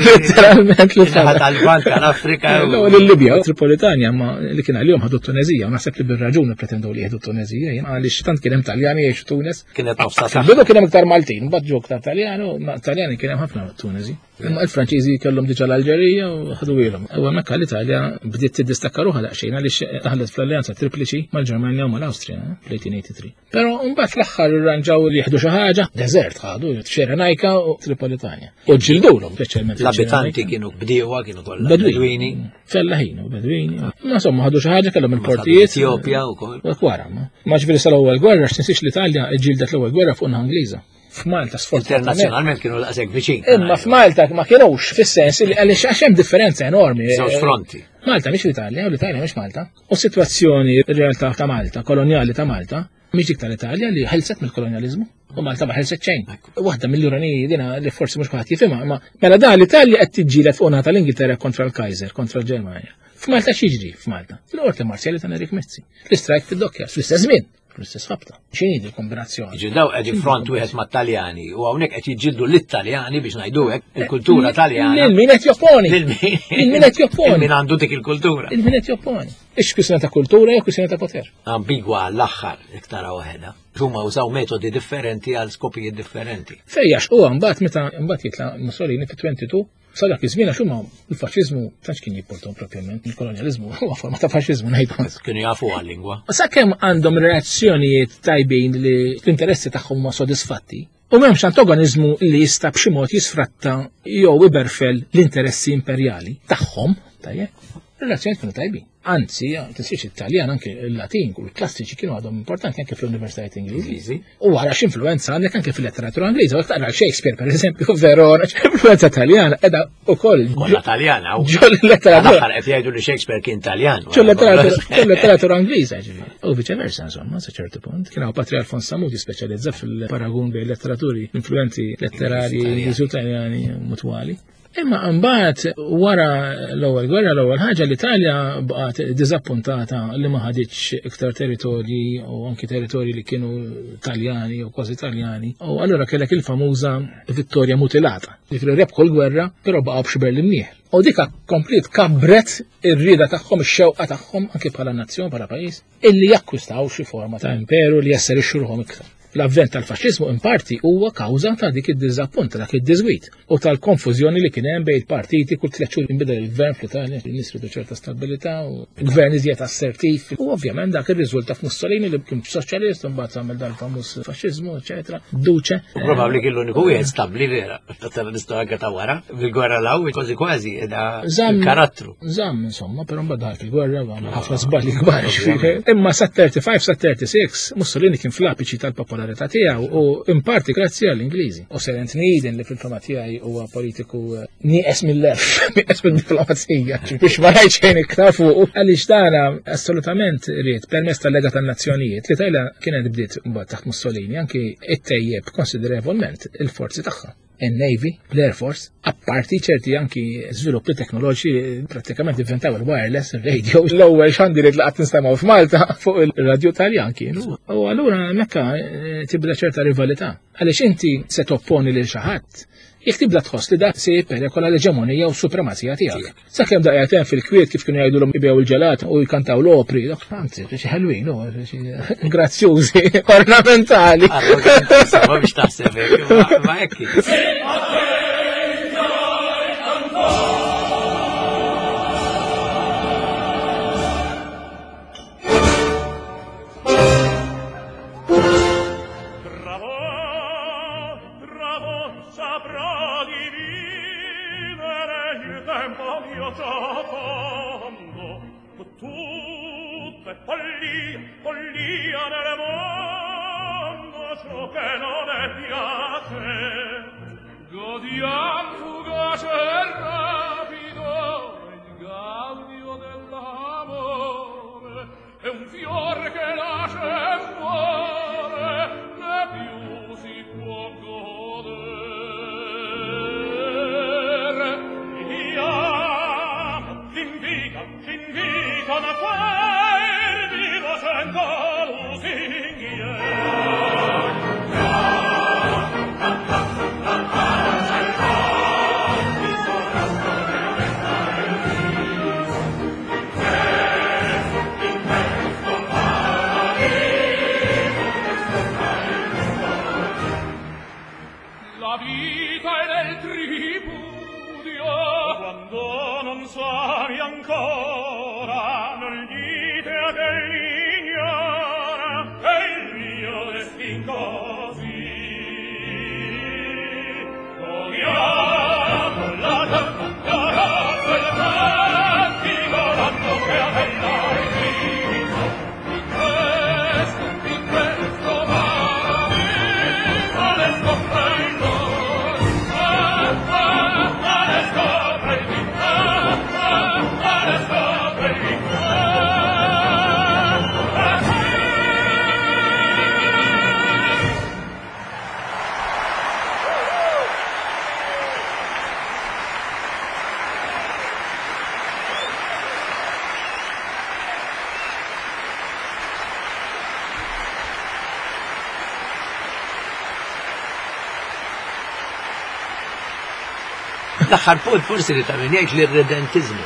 letteralment li fadal. Tal-Lvant tal-Afrika. L-Libja, Tripolitanja, ma li kien għalihom ħadu t-Tunezija, u naħseb li bir-raġuni pretendew li jieħdu t-Tunezija, għaliex tant kien hemm Taljani jgħixu Tunis. Kienet nofsa. Bidu kien hemm iktar Maltin, mbagħad ġew iktar Taljani, u Taljani kien hemm ħafna Tunezi. Imma il-Franċiżi kellhom diġà l-Alġerija u ħadu ilhom. U hemmhekk l-Italja bdiet tiddistakka ruħha daqsxejn għaliex daħlet fl-alleanza tripliċi mal-Ġermanja u mal-Awstrija fl-eighteen eighty-three. Però mbagħad fl-aħħar irranġaw li jieħdu xi ħaġa, deżert ħadu, Ċirenajka u Tripolitanja. U ġildulhom speċjalment. L-abitanti kienu bdiewa, kienu kollha bedwini. Fellaħin u bedwini. Ma insomma ħadu xi ħaġa kellhom il-portijiet. Etjopja wkoll. Wara, ma ġifieri sal-ewwel gwerra x'tinsiex l-Italja ġildet l-ewwel gwerra fuq naħa Ingliża. F'Malta sfortunatament. Internazzjonalment kienu daqshekk viċin. Imma f'Malta ma kienux fis-sens li għaliex għax hemm differenza enormi. Żewġ fronti. Malta mhix l-Italja u l-Italja mhix Malta. U s-sitwazzjoni r-realtà ta' Malta, kolonjali ta' Malta, mhix dik tal-Italja li ħelset mill-kolonjaliżmu. U Malta ma ħelset xejn. Waħda mill-ironiji dina li forsi mhux kulħadd jifhimha, imma mela dan l-Italja qed tiġġieled fuq naħa tal-Ingilterra kontra l-Kaiser, kontra l-Ġermanja. F'Malta x'jiġri f'Malta? Fil-qorti marzjali ta' Nerik Mizzi. L-istrajk fid-dokkja fl-istess żmien. Fl-istess ħabta. X'inhi il-kombinazzjoni? Ġi daw qegħdin front wieħed mat-Taljani u hawnhekk qed jiġġieldu lit-Taljani biex ngħidu hekk il-kultura Taljana. Lil min qed jopponi. Lil min qed jopponi. Min għandu dik il-kultura. Lil min qed jopponi. Ix kwistjoni ta' kultura jew kwistjoni ta' poter. Ambigwa għall-aħħar iktar waħedha. Huma użaw metodi differenti għal skopijiet differenti. Fejjax huwa mbagħad meta mbagħad jitla' Mussolini fi twenty-two sa dak iż-żmien għax huma l-faxxiżmu tantx kien jipportom propjament, il-kolonjaliżmu huwa forma ta' faxxiżmu ngħidu. Kienu jafu għal-lingwa. Sakemm għandhom relazzjonijiet tajbin li l-interessi tagħhom huma sodisfatti, u m'hemmx antagoniżmu li jista' b'xi mod jisfratta jew iberfel l-interessi imperjali tagħhom, tajjeb, relazzjonijiet kienu tajbin. Anzi, tinsiex it-Taljan anke il-Latin u l-klassiċi kienu għadhom importanti anke fl-universitajiet Ingliżi. U wara x'influenza għandek anke fil-letteratura Ingliża, u taqra Shakespeare pereżempju, Verona, influenza Taljana qiegħda ukoll. Kollha Taljana. Ġol letteratura. L-aħħar qed jgħidu li Shakespeare kien Taljan. Ġol letteratura Ingliża, ġifieri. U viċeversa, insomma, sa ċertu punt. Kien hawn Patri Alfons Sammut jispeċjalizza fil-paragun bejn letteraturi influenzi letterari Ingliżi u Taljani mutwali. Imma mbagħad wara l-ewwel gwerra, l-ewwel ħaġa l-Italja baqgħet diżappuntata li ma ħaditx iktar territorji u anki territorji li kienu Taljani u kważi Taljani. U allura kellek il-famuża vittorja mutilata. Ġifieri rebħu l-gwerra, però baqgħu b'xi Berlin Mnieħ. U dika komplet kabret ir-rieda tagħhom, ix-xewqa tagħhom anki bħala nazzjon, bħala pajjiż, illi jakkwistaw xi forma ta' imperu li jasserixxu ruħhom iktar. L-avvent tal-faxxiżmu in parti huwa kawża ta' dik id-diżappunt, ta' dak id-diżwit u tal-konfużjoni li kien hemm bejn il-partiti kull tliet xhur inbidel il-gvern fl-Italja, in-nies ridu ċerta stabilità u gvern iżjed assertiv. U ovvjament dak irriżulta f'Mussolini li kien soċjalist u mbagħad għamel dal-famuż faxxiżmu, eċetera, duce. U probabbli kien l-uniku wieħed stabbli vera. Tara l-istorja ta' wara, fil-gwerra l-aw kważi kważi qiegħda karattru. Żamm insomma, però mbagħad daħal fil-gwerra għamel ħafna żbalji kbar. Imma sa thirty-five sa thirty-six Mussolini kien fl-apiċi tal-popolarità tiegħu u in parti grazzi għall-Ingliżi. U Sir Anthony Eden li fil-fama tiegħi huwa politiku nieqes mill-lef, nieqes mid-diplomazija, biex ma ngħid xejn iktar fuq, għaliex dana assolutament ried permezz tal-Lega tan-Nazzjonijiet li Italja kienet bdiet mbagħad taħt Mussolini anki ittejjeb konsiderevolment il-forzi tagħha. Il-Navy, l-Air Force, apparti ċerti anki żviluppi teknoloġiċi pratikament inventaw il-wireless, il-radio, l-ewwel xandiriet li qatt nistemgħu f'Malta fuq il-radio Taljan kienu. U allura mekka tibda ċerta rivalità. Għaliex inti se topponi lil xi ħadd, jekk tibda tħoss li dak se jipperikola l-eġemonija u s-supremazija tiegħek. Sakemm daqqa hemm fil-kwiet kif kienu jgħidulhom ibgħu il-ġelat u jkantaw l-opri, dak anzi, xi ħelwin, grazzjużi, ornamentali. Ma biex taħseb hekk, ma hekk. Godiam fugace e rapido il gaudio dell'amore è un fior che nasce e muore né più si può godere. Viviamo, c'invita, c'invitano a quel vivo cento lusinghiere. La vita è nel tripudio quando non sai ancora nel L-aħħar punt forsi li ta' min jgħid li r-redentizmu.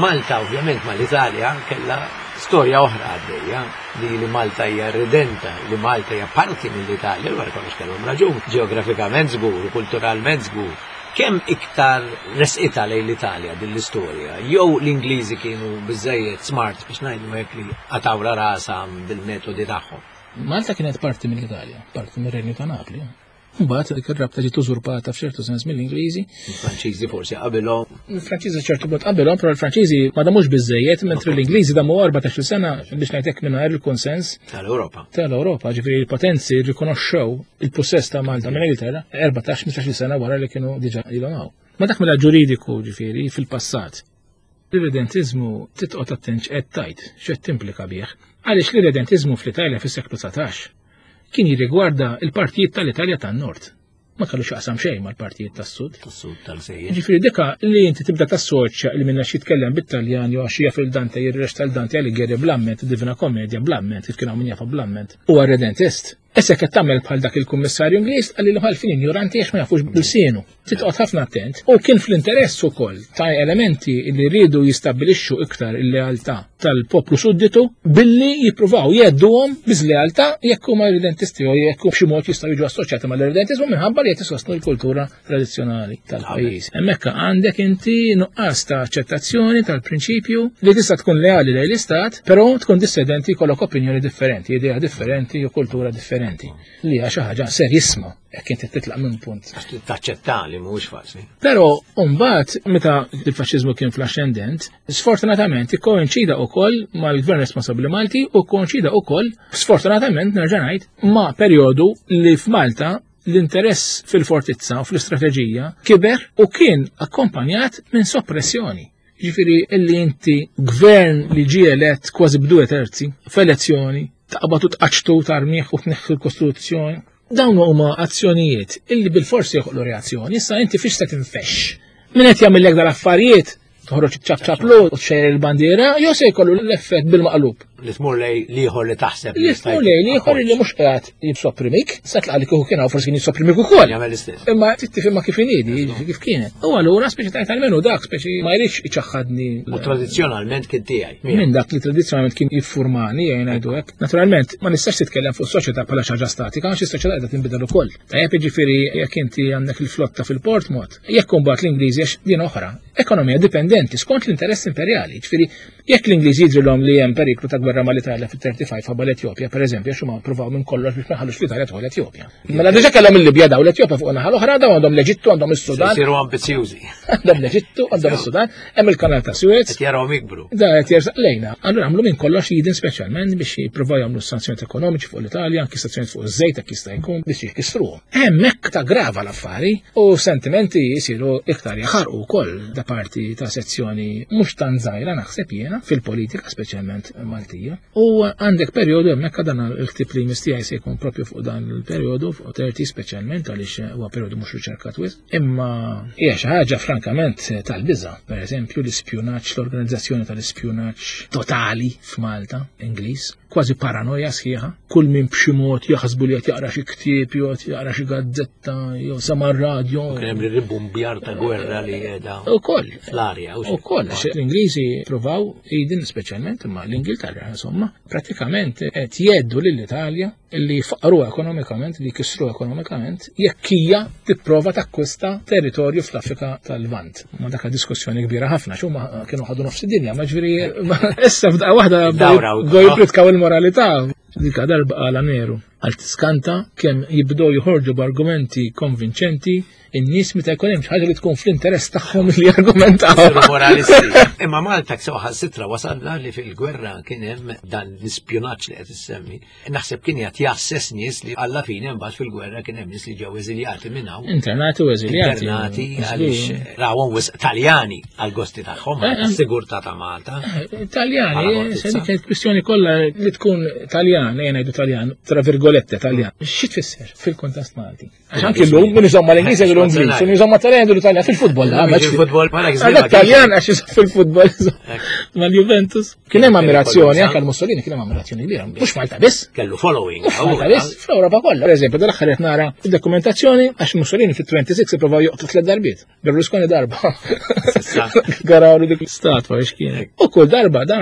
Malta ovvjament mal-Italja kellha storja oħra għaddejja li li Malta hija redenta, li Malta hija parti mill-Italja, wara kollox kellhom raġun, ġeografikament żgur, kulturalment żgur. Kemm iktar resqita lejn l-Italja din l-istorja? Jew l-Ingliżi kienu biżejjed smart biex ngħidu hekk li qatawla rasha bil-metodi tagħhom. Malta kienet parti mill-Italja, parti mir-Renju ta' Napli. Mbagħad dik ir-rabta ġiet użurpata f'ċertu sens mill-Ingliżi. Il-Franċiżi forsi qabilhom. Il-Franċiżi ċertu mod qabilhom, però l-Franċiżi ma damux biżejjed, mentri l-Ingliżi damu erbatax-il sena biex ngħidlek mingħajr il-konsens tal-Ewropa. Tal-Ewropa, ġifieri l-potenzi rrikonoxxew il-possess ta' Malta minn Ingilterra erbatax ħmistax-il sena wara li kienu diġà ilhom hawn. Ma dak mela ġuridiku ġifieri fil-passat. L-irredentizmu titqgħod attent x'qed tgħid, x'qed timplika bih. Għaliex l-irredentizmu fl-Italja fis-seklu dsatax kien jirrigwarda il-partijiet tal-Italja tan-Nord. Ma kellu x'jaqsam xejn mal-partijiet tas-Sud. Tas-Sud tal-Sejjer. Ġifieri dika li inti tibda tassoċja li minna xi jitkellem bit-Taljan jew għax jaf il-Dante jirreċta l-Dante Alighieri bl-amment, Divina Commedia bl-amment, kif kien hawn min jafha bl-amment. Huwa redentist. Issa qed tagħmel bħal dak il-kummissarju Ingliż qalli l-ħalfin ignoranti għax ma jafux b'sienu. Titqgħod ħafna attent. U kien fl-interess ukoll ta' elementi li rridu jistabbilixxu iktar il-lealtà tal-poplu sudditu billi jippruvaw jgħedduhom biż-lealtà jekk huma irredentisti jew jekk b'xi mod jistgħu jiġu assoċjati mal-irredentizmu minħabba li qed isostnu l-kultura tradizzjonali tal-pajjiż. Hemmhekk għandek inti nuqqas ta' aċċettazzjoni tal-prinċipju li tista' tkun leali lejn l-istat, però tkun dissidenti jkollok opinjoni differenti, idea differenti u kultura differenti. Li hija xi ħaġa serjissima jekk inti titlaq minn punt. Għax taċċetta li mhuwiex faċli. Però mbagħad meta il-faxxiżmu kien fl-ascendent, sfortunatament ikkoinċida wkoll mal-Gvern Responsabbli Malti u kkoinċida wkoll sfortunatament nerġa' ngħid ma' perjodu li f'Malta l-interess fil-fortizza u fl-istrateġija kiber u kien akkompanjat minn soppressjoni. Ġifieri illi inti gvern li ġie elett kważi b'due terzi f'elezzjoni taqbad u tqaċtu tarmiħ u tneħħi l-Kostituzzjoni. Dawn huma azzjonijiet illi bil-forsi joħolqu reazzjoni, issa inti fiex se tinfexx. Min qed jagħmellek dal-affarijiet toħroġ ċapċaplu u txejjer il-bandiera, jew se jkollu l-effett bil-maqlub. Li tmur lej liħor li taħseb. Li tmur lej liħor li mhux qiegħed jissopprimik, sa tlaq li kieku kien hawn forsi kien jissopprimik ukoll. Jagħmel l-istess. Imma trid tifhimha kif inhi, kif kienet. U allura speċi tajt almenu dak speċi ma jridx iċaħħadni. U tradizzjonalment kien tiegħi. Minn dak li tradizzjonalment kien jiffurmani jgħin ngħidu hekk. Naturalment ma nistax titkellem fuq soċjetà bħala xi ħaġa statika għax is-soċjetà qiegħda tinbidel ukoll. Tajjeb jiġifieri jekk inti għandek il-flotta fil-Portmouth, jekk imbagħad l-Ingliżi għax din oħra, ekonomija dipendenti skont l-interess imperjali. Ġifieri jekk l-Ingliżi jidrilhom li hemm periklu ta' gwerra mal-Italja fit-thirty-five ħabba l-Etjopja, pereżempju, għax huma ppruvaw minn kollox biex ma jħallux l-Italja tħol l-Etjopja. Mela diġà kellhom il-Libja daw l-Etjopja fuq naħa l-oħra, daw għandhom l-Eġittu, għandhom is-Sudan. Isiru ambizzjużi. Għandhom l-Eġittu, għandhom is-Sudan, hemm il-Kanal ta' Suez. Qed jarawhom jikbru. Da qed jersaq lejna. Allura għamlu minn kollox jidin speċjalment biex jippruvaw jagħmlu sanzjonijiet ekonomiċi fuq l-Italja, anki sanzjonijiet fuq iż-żejt jekk jista' jkun biex jkissruhom. Hemmhekk ta' grava l-affari u sentimenti jisiru iktar jaħarqu wkoll da parti ta' sezzjoni mhux tant żgħira naħseb jiena fil-politika speċjalment Maltija. U għandek perjodu hemmhekk dan il-ktib li mistijaj se jkun propju fuq dan il-perjodu fuq thirty speċjalment għaliex huwa perjodu mhux riċerkat wisq. Imma hija xi ħaġa frankament tal-biża', pereżempju l-ispjunaġġ, l-organizzazzjoni tal-ispjunaġġ totali f'Malta, Ingliż, kważi paranoja sħiħa, kull min b'xi mod jaħsbu li qed jaqra xi ktieb jew qed jaqra xi gazzetta jew sama' r-radju. Kien hemm ribumbjar ta' gwerra li qiegħda Ukoll. fl-arja, u xi. Ukoll, għax l-Ingliżi provaw idin speċjalment imma l-Ingilterra insomma, pratikament qed jgħeddu lill-Italja li faqru ekonomikament, li kisru ekonomikament, jekk hija tipprova takkwista territorju fl-Afrika tal-Lvant. Ma dak diskussjoni kbira ħafna, x'huma kienu ħadu nofs id-dinja, ma ġifieri, ma issa f'daqqa waħda Dawra u bdew jipritkaw il-moralità. Dika darba qala Neru, għal tiskanta kemm jibdew joħorġu b'argumenti konvinċenti in-nies meta jkun hemm xi ħaġa li tkun fl-interess tagħhom li jargumentaw. Isiru moralisti. Imma Malta sew ħassitra wasalna li fil-gwerra kien hemm dan l-ispjunaġġ li qed issemmi. Naħseb kien qed jassess nies li alla fine mbagħad fil-gwerra kien hemm nies li ġew eżiljati minn hawn. Internati u eżiljati. Internati Żgur. għaliex rawhom wisq Taljani għall-gosti tagħhom, Eh, eh. għas-sigurtà ta' Malta. Eh, Taljani, Bħala se dik kienet kwistjoni kollha li tkun Taljan, ejja ngħidu Taljan, tra virgoletti, virgolette Taljan. Xi tfisser fil-kontest Malti? Għax anki llum min iżomm mal-Ingliż jgħidu l-Ingliż, min iżomm mat-Taljan jgħidu l-Italjan fil-futbol. Fil-futbol, Taljan għax iżomm fil-futbol mal-Juventus. Kien hemm ammirazzjoni anke l-Mussolini kien hemm ammirazzjoni kbira. Mhux Malta biss. Kellu following. Mhux Malta biss, fl-Ewropa kollha. Per eżempju, dal-aħħar qed nara id-dokumentazzjoni għax Mussolini fit-tnejn u ipprovaw joqtlu tliet darbiet. Berlusconi darba. Garawlu dik l-istatwa biex kien. U kull darba da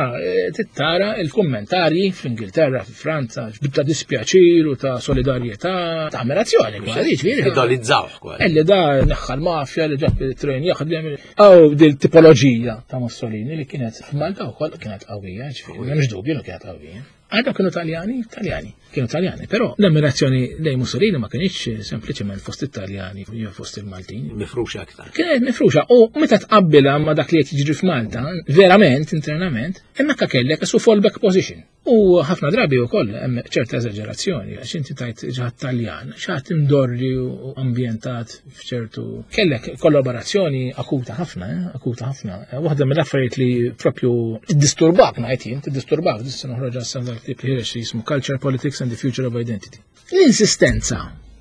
tittara il-kummentarji fl-Ingilterra, fil-Franza, ta' dispjaċir u ta' solidarjetà, ta' ammirazzjoni kważi, ġifieri. Idolizzawh kważi. Illi da neħħa l-mafja li ġab il-trejn jaħdem. Aw dil tipoloġija ta' Mussolini li kienet f'Malta wkoll kienet qawwija, ġifieri, m'hemmx dubju li kienet qawwija. Għadha kienu Taljani, Taljani, kienu Taljani, però l-ammirazzjoni lejn Mussolini ma kienx sempliċement fost it-Taljani jew fost il-Maltin. Mifruxa aktar. Kienet mifruxa u meta tqabbilha ma dak li qed jiġri f'Malta, verament internament, hemmhekk kellek su fallback position. U ħafna drabi wkoll hemm ċerta eżaġerazzjoni, għax inti tajt ġaħat Taljan, xaħat imdorri u ambjentat f'ċertu. Kellek kollaborazzjoni akuta ħafna, eh? akuta ħafna. Waħda mill-affarijiet li propju tiddisturbak ngħid jien, tiddisturbak, issa noħroġ għas dal-ktieb li ħireġ li jismu Culture, Politics and the Future of Identity. L-insistenza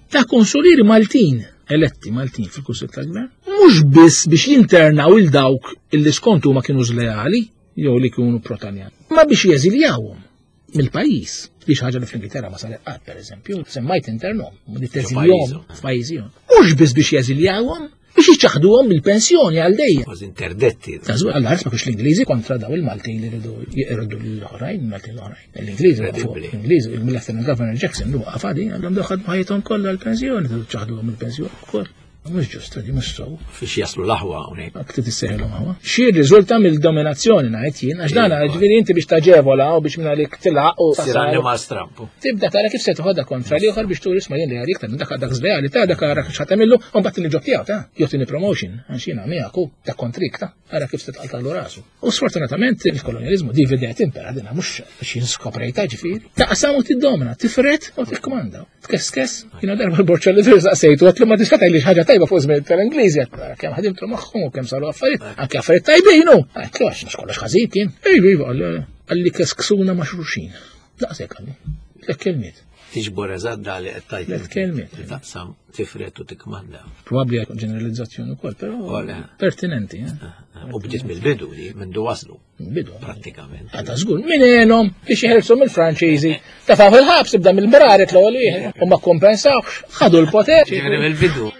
ta' konsulieri Maltin, eletti Maltin fil-Kunsill tal-Gvern, mhux biss biex jinternaw il dawk illi skontu ma kienu żleali jew li kienu pro-Taljan, ma biex jeżiljawhom mill-pajjiż. Li xi ħaġa li fl-Ingilterra ma saret qatt, pereżempju, semmajt internhom, ma teżiljhom f'pajjiżihom. Mhux biss biex jeżiljawhom, biex jiċċaħduhom mill-pensjoni għal dejjem. Kważi interdetti. Ta' żgur, għall-ħares ma kienx l-Ingliżi kontra daw il-Maltin li rridu jeqirdu l-oħrajn, il-Maltin l-oħrajn. L-Ingliżi waqfu, l-Ingliżi, il-Lieutenant Governor Jackson li waqaf għadi, għandhom daw ħadmu ħajjithom kollha l-pensjoni, ċaħduhom mill-pensjoni wkoll. Mhux ġust, di mhux sew. Fiex jaslu l-aħwa hawnhekk. Aktar tissejħilhom aħwa. Xi riżulta mill-dominazzjoni ngħid jien, għax dan ġifieri inti biex taġevola u biex minn għalik tilaq u Sir annimal strampu. Tibda tara kif se toħodha kontra l-ieħor biex turi isma' jien li għalik ta' dak dak żleali ta' dak ara kif ħadd u mbagħad tieni ġob tiegħu ta' jew tieni promotion għax jiena miegħek u ta' kontrik ta' ara kif se tqaltalu rasu. U sfortunatament il-kolonjaliżmu divide et impera dinha mhux biex jinskoprejta ġifieri. Taqsam u tiddomina, tifret u tikkmanda. Tkeskes, jiena darba l-borċa li saqsejtu għatlu ma tista' tgħidli ħaġa tajba fuq żmien tal-Ingliżi, kemm ħadimtu magħhom u kemm saru affarijiet, anke affarijiet tajbin hu. Għedtlu għax mhux kollox ħażin kien. Ejju iva, qalli kesksuna ma' xulxin. Daqshekk qalli. Tliet kelmiet. Tiġbor eżatt da li qed tgħid. Tliet kelmiet. Taqsam, tifret u tikmanda. Probabbli ġeneralizzazzjoni wkoll, però pertinenti. U bdiet mill-bidu li minn du waslu. Bidu. Prattikament. Għadha żgur, min għenhom biex jeħelsu mill-Franċiżi. Tafaw il-ħabs ibda mill-braret l-ewwel wieħed u ma kompensawx, ħadu l-poter. Ġifieri mill-bidu.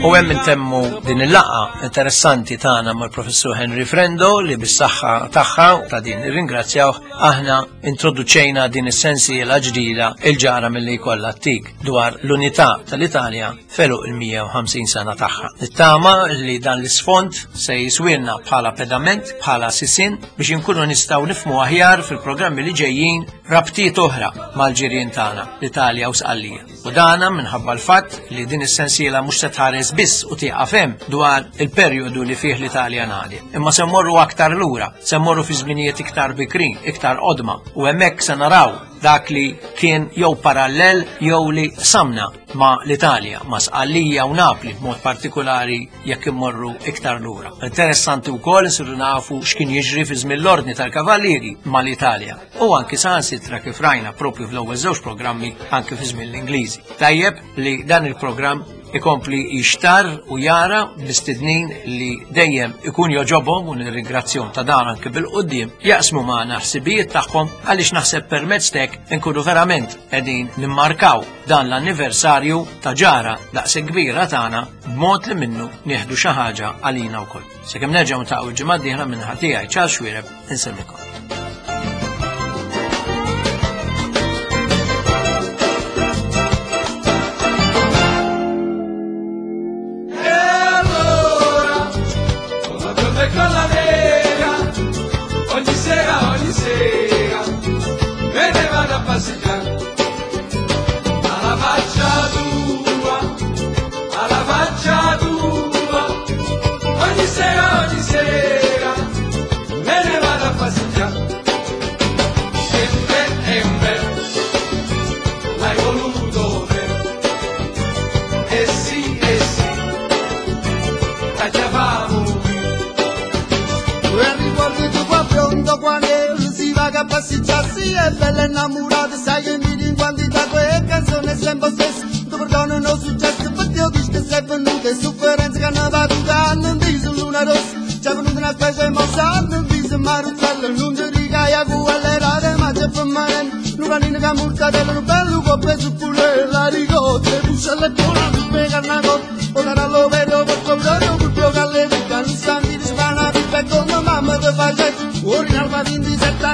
U hemm intemmu din il-laqgħa interessanti tagħna mal-Professur Henry Frendo li bis-saħħa tagħha ta' din irringrazzjawh aħna introduċejna din is-sensiela ġdida il-ġara milli jkollha t-tik dwar l-unità tal-Italja felu il-mija u ħamsin sena tagħha. Nittama li dan l-isfond se jiswilna bħala pedament, bħala sisin biex inkunu nistgħu nifhmu aħjar fil-programmi li ġejjin rabtiet oħra mal-ġirien tagħna, l-Italja u Sqallija. U dana minħabba l-fatt li din is-sensiela mhux se tħares biss u tieqaf hemm dwar il-perjodu li fih l-Italja ngħadi. Imma se mmorru aktar lura, se mmorru fi żminijiet iktar bikrin, iktar qodma, u hemmhekk se naraw dak li kien jew parallel jew li samna ma' l-Italja, ma' Sqallija u Napli b'mod partikolari jekk immorru iktar lura. Interessanti wkoll insiru nafu x'kien jiġri fi żmien l-Ordni tal-Kavallieri mal-Italja u anki saħansitra kif rajna propju fl-ewwel żewġ programmi anki fi żmien l-Ingliżi. Tajjeb li dan il-programm ikompli jixtar u jara mistednin li dejjem ikun joġobhom u nirringrazzjahom ta' dan anke bil-qudiem jaqsmu magħna ħsibijiet tagħhom għaliex naħseb permezz tek inkunu verament qegħdin nimmarkaw dan l-anniversarju ta' ġara daqshekk kbira tagħna b'mod li minnu nieħdu xi ħaġa għalina wkoll. Sakemm nerġgħu ntaqgħu l-ġimgħa d-dieħla minn ħadd tiegħi Charles Xuereb, inselmikom. E con la nera, ogni sera, ogni sera, me ne vado a passeggiare. Alla faccia tua, alla faccia tua, ogni sera, ogni sera, me ne vado a passeggiare. E beh, e beh, l'hai voluto te. Eh sì, eh sì, tagliavamo. E ricordi tu qua pronto quando si va a passeggiarsi è bella innamorata, sai che mi in quantità quella canzone è sempre stessa. Tu perdono non successo, perché io dico che sei venuta e sofferenza che non va tutta, non viso luna rossa, c'è venuta una specie mossa, non viso maruzzella, non ti ricaia quella era, ma c'è per me, non panino che mortadella, un bello coppe su pure la ricotta, buscia le buona, tu pega una cotta, ora lo vedo per comprare un pulpio che alle vita, non sta mi rispana, pipa come mamma ti fa gesto, ora in alba ventisette